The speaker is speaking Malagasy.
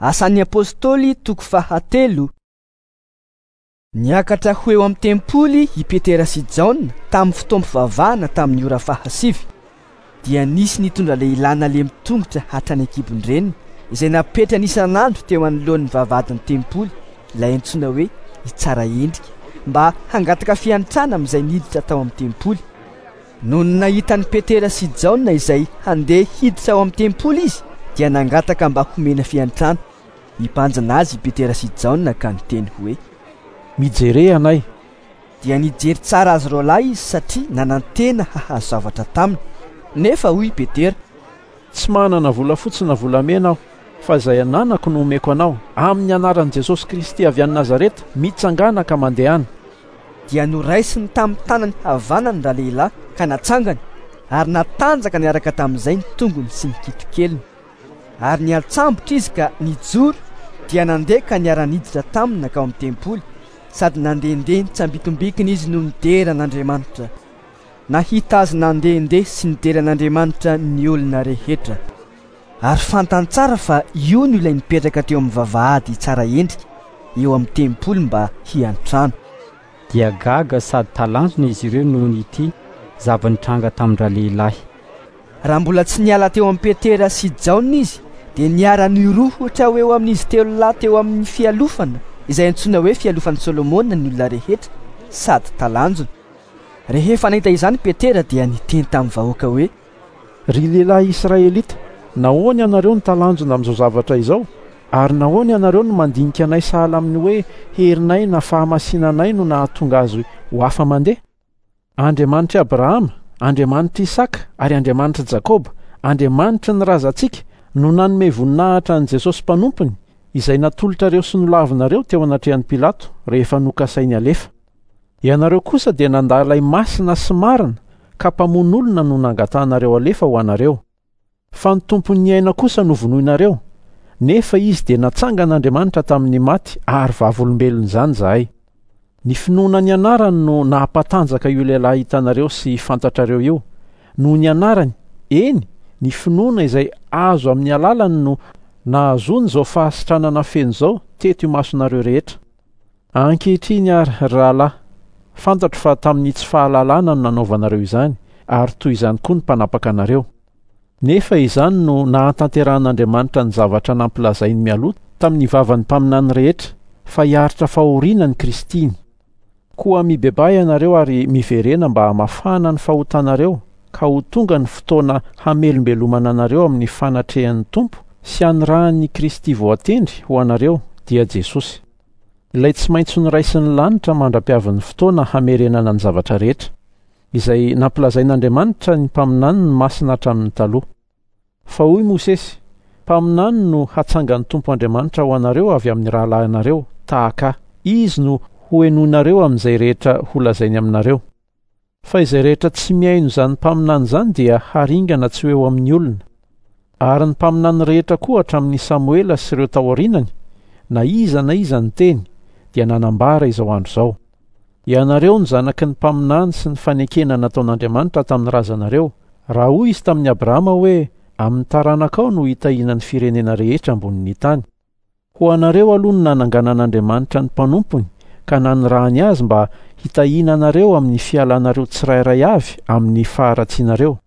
Asan'ny Apostoly toko fahatelo. Niakatra ho eo amin'ny tempoly i Petera sy Jaona tamin'ny fotoam-pivavahana tamin'ny ora fahasivy. Dia nisy nitondra lehilahy nalemy tongotra hatrany an-kibon-dreniny, izay napetrany isan'andro teo anoloan'ny vavahadin'ny tempoly, ilay antsoina hoe Itsaraendrika, mba hangataka fiantrana amin'izay niditra tao amin'ny tempoly. Nony nahita an'i Petera sy Jaona izay handeha hiditra ao amin'ny tempoly izy, dia nangataka mba homena fiantrana. Nibanjina azy i Petera sy Jaona ka niteny hoe: Mijere anay. Dia nijery tsara azy roalahy izy satria nanantena hahazo zavatra taminy. Nefa hoy i Petera: Tsy manana volafotsy na volamena aho, fa izay ananako no omeko anao, amin'ny anaran'i Jesosy Kristy avy any Nazareta, mitsangàna ka mandehana. Dia noraisiny tamin'ny tanany havanany ralehilahy ka natsangany, ary natanjaka niaraka tamin'izay ny tongony sy ny kitokeliny. Ary niantsambotra izy ka nijoro, dia nandeha ka niara-niditra taminy nankao amin'ny tempoly, sady nandehandeha nitsambikombikina izy no nidera an'Andriamanitra. Nahita azy nandehandeha sy nidera an'Andriamanitra ny olona rehetra. Ary fantany tsara fa io no ilay nipetraka teo amin'ny vavahady tsara endrika eo amin'ny tempoly mba hiantrano. Dia gaga sady talanjona izy ireo noho ity zava-nitranga tamin-dralehilahy. Raha mbola tsy niala teo amin'i Petera sy Jaona izy, dia niara-nirohotra ho eo amin'izy telo lahy teo amin'ny fialofana, izay antsoina hoe fialofan'i Solomona ny olona rehetra, sady talanjona. Rehefa nahita izany Petera dia niteny tamin'ny vahoaka hoe. Ry lehilahy Israelita, nahoana ianareo no talanjona amin'izao zavatra izao? Ary nahoana ianareo no mandinika anay sahala amin'ny hoe herinay na fahamasinanay no nahatonga azy ho afa-mandeha? Andriamanitr'i Abrahama, Andriamanitr'i Isaka ary Andriamanitr'i Jakoba, Andriamanitry ny razantsika, no nanome voninahitra an'i Jesosy Mpanompony, izay natolotrareo sy nolavinareo teo anatrehan'i Pilato rehefa nokasainy halefa. Ianareo kosa dia nandà ilay Masina sy Marina, ka mpamono olona no nangatahanareo halefa ho anareo. Fa ny Tompon'ny aina kosa novonoinareo, nefa Izy dia natsangan'Andriamanitra tamin'ny maty ary vavolombelon'izany izahay. Ny finoana ny anarany no nahampatanjaka io lehilahy hitanareo sy fantatrareo io. Noho ny anarany, eny, ny finoana izay azo amin'ny alalany no nahazoany izao fahasitranana feno izao teto imasonareo rehetra. Ankehitriny àry, ry rahalahy, fantatro fa tamin'ny tsy fahalalana no nanaovanareo izany, ary toy izany koa ny mpanapaka anareo. Nefa izany no nahatanterahan'Andriamanitra ny zavatra nampilazainy mialoha tamin'ny vavan'ny mpaminany rehetra, fa hiaritra fahoriana ny Kristiny. Koa mibebaha ianareo ary miverena mba hamafana ny fahotanareo, ka ho tonga ny fotoana hamelombelomana anareo amin'ny fanatrehan'ny Tompo sy hanirahan'ny Kristy voatendry ho anareo, dia Jesosy. Ilay tsy maintsy noraisin'ny lanitra mandra-piavin'ny fotoana hamerenana ny zavatra rehetra, izay nampilazain'Andriamanitra ny mpaminaniny masina hatramin'ny taloha. Fa hoy Mosesy, Mpaminany no hatsangan'ny Tompo Andriamanitra ho anareo avy amin'ny rahalahinareo, tahaka ahy. Izy no hohenoinareo amin'izay rehetra holazainy aminareo. Fa izay rehetra tsy mihaino izany mpaminany izany dia haringana tsy ho eo amin'ny olona. Ary ny mpaminany rehetra koa hatramin'i Samoela sy ireo taorianany, na iza na iza niteny, dia nanambara izao andro izao. Ianareo no zanaky ny mpaminany sy ny fanekena nataon'Andriamanitra tamin'ny razanareo, raha hoy Izy tamin'i Abrahama hoe, Amin'ny taranakao no hitahiana ny firenena rehetra ambonin'ny tany. Ho anareo aloha no nananganan'Andriamanitra ny mpanompony ka nanirahany azy mba hitahiana anareo amin'ny fialanareo tsirairay avy amin'ny faharatsianareo.